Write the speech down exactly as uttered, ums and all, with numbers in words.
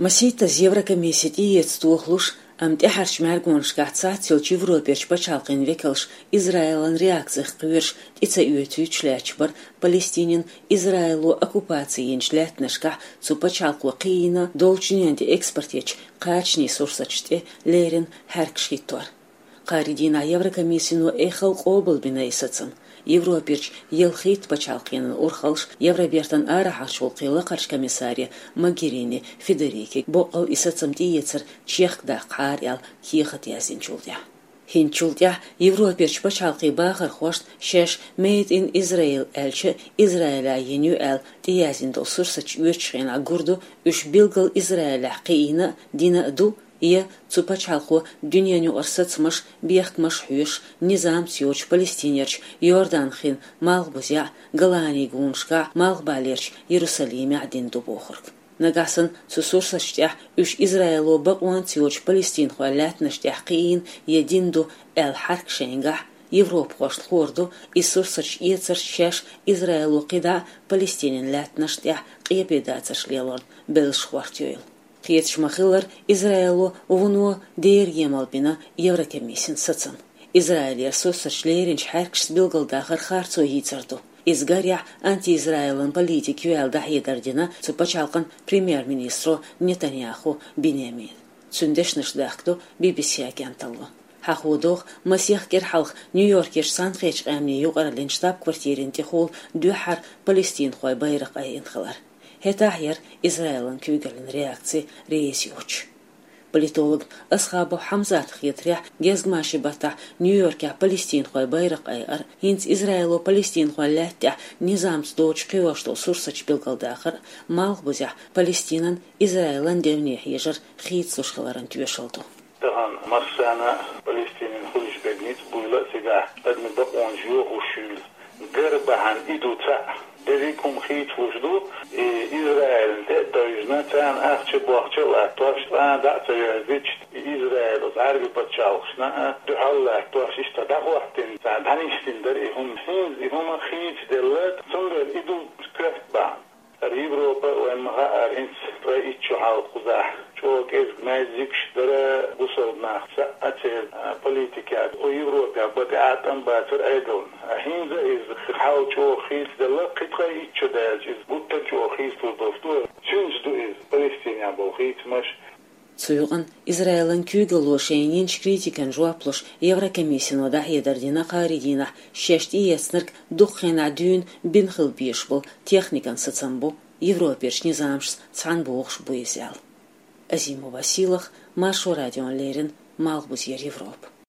Масийттаза Еврокомиссе тӀеэца тохалуш, амма тӀаьхьарчу мӀаьргонашкахь цхьацца йолчу Европерчу пачхьалкхийн векалш Израилан реакцих кхоьруш тӀе ца оьцуьйтуш лаьтташ бара Палестинин Израило оккупаци йинчу лаьттанашкахь цу пачхьалкхо кхиийна долчу дуьненан тӀе экспорт ечу кхачанийн сурсаташ тӀе леррина хьаьркаш хӀиттор. Кхаарин дийнахь Еврокомиссино эххал къобалбина и сацам. Европерчу ялхитта пачхьалкхенан урхаллаш Евробертан арахьарчу гӀуллакхийн лакхарчу комиссаре Могерини Федерике боккъал и сацам тӀеэцар чехка даккхахьара аьлла кехат яздинчул тӀаьхьа. ХӀинцачул тӀаьхьа Европерчу пачхьалкхийн бахархошна шаьш Made in Israel аьлча Израилехь йина ю аьлла тӀеяздина долу сурсаташ оьцучу хенахь гур ду, уьш билггал Израилехь кхиийна а, дина а ду, я цу пачхьалкхо дуьненан юкъара сацамаш, бехкамаш хьоьшуш, низамца йоцуш Палестинерчу Иордан-хин малхбузехь, Голанийн гонашкахь, Малхбалерчу Иерусалимехь дина ду бохург. Нагахь санна цу сурсаташ тӀехь уьш Израило бакъонца йоцуш палестинхойн лаьттанаш тӀехь кхиийна я дина ду аьлла хьаьрк шайнгахь, европахошна хуур ду, и сурсаташ эцарца шаьш Израило кхидӀа а Палестинин лаьттанашна тӀехь къепедацарш лелорна беллаш хӀоттайойла. Кхеташ ма-хиллара, Израило вуно дера емал бина Еврокомиссин сацам. Израилера сурсаташ леринчу хьаьркашца билгалдахар харцо йийцар ду. Иза гарехь антиизраилан политика ю аьлла дӀахьедар дина цу пачхьалкхан премьер-министро Нетаньяху Биньямина. Цуьнан дешнаш дахка ду Би-Би-Си агенталло. Хьахо догӀу, масех кӀира хьалха Нью-Йоркерчу Цхьаьнакхеттачу Къаьмнийн юкъараллин штаб-квартирина тӀехула дуьххьара палестинхойн байракх айина хилар. ХӀетахь яра Израилан куьйгаллин реакци реза йоцуш. Политолог Асхабов Хьамзатан хетарехь, гезгмашин баттахь Нью-Йоркехь палестинхойн байракх айар, хӀинца Израило палестинхойн лаьтта тӀехь низамца доцуш кхиош долу сурсаташ билгалдахар, малхбузехь Палестинан, Израилан девне хьежар хийцалуш хиларан тоьшалла ду. Тахана массарна Палестинан хуьлуш берг ницкъ буйла а, цигахь адамийн бакъонаш йохуш юйла. Гар бахьана и ду цхьаъ. Дерриг а хӀума хийцалуш ду, и Израилна тӀе а тевжина, царна ахча а, бохча а латтош, цкъа а дӀа а ца йоьрзуьйтуш, и Израил оцу Ӏаьрбийн пачхьалкхашна а дуьхьал латтош, иштта дӀахӀоттийна, царна дӀанисдина дара и хӀума. ХӀинца и хӀума хийцаделла, цундела и ду коьрта бахьана. ХӀара Европа, вайн ма-хаъара, хӀинца ткъе итт шо хьалха кхузахь чӀогӀа кӀезиг-маьззигаш дара бусалба нах, цхьа а церан, а, политикехь, кху Европехь бан тӀе а тӀам бацара Ӏедална. ХӀинца иза хьал чӀогӀа хийцаделла, кхин ткъе итт шо даьлча иза гуттар а чӀогӀа хийцалур долуш ду. Цуьнца ду иза Палестинехь болу хийцамаш. Цу юкъана Израилан куьйгалло шайна йинчу критикан жоп луш, Еврокомиссино дӀахьедар дина кхаарин дийнахь, шаьш тӀеэцнарг дукха хенахь дуьйна бина хила безаш болу техникан сацам бу, Европерчу низамашца цхьаьна богӀуш бу иза аьлла. Азимова Сийлаха, Маршо радиона леррина, Малхбузера Европа.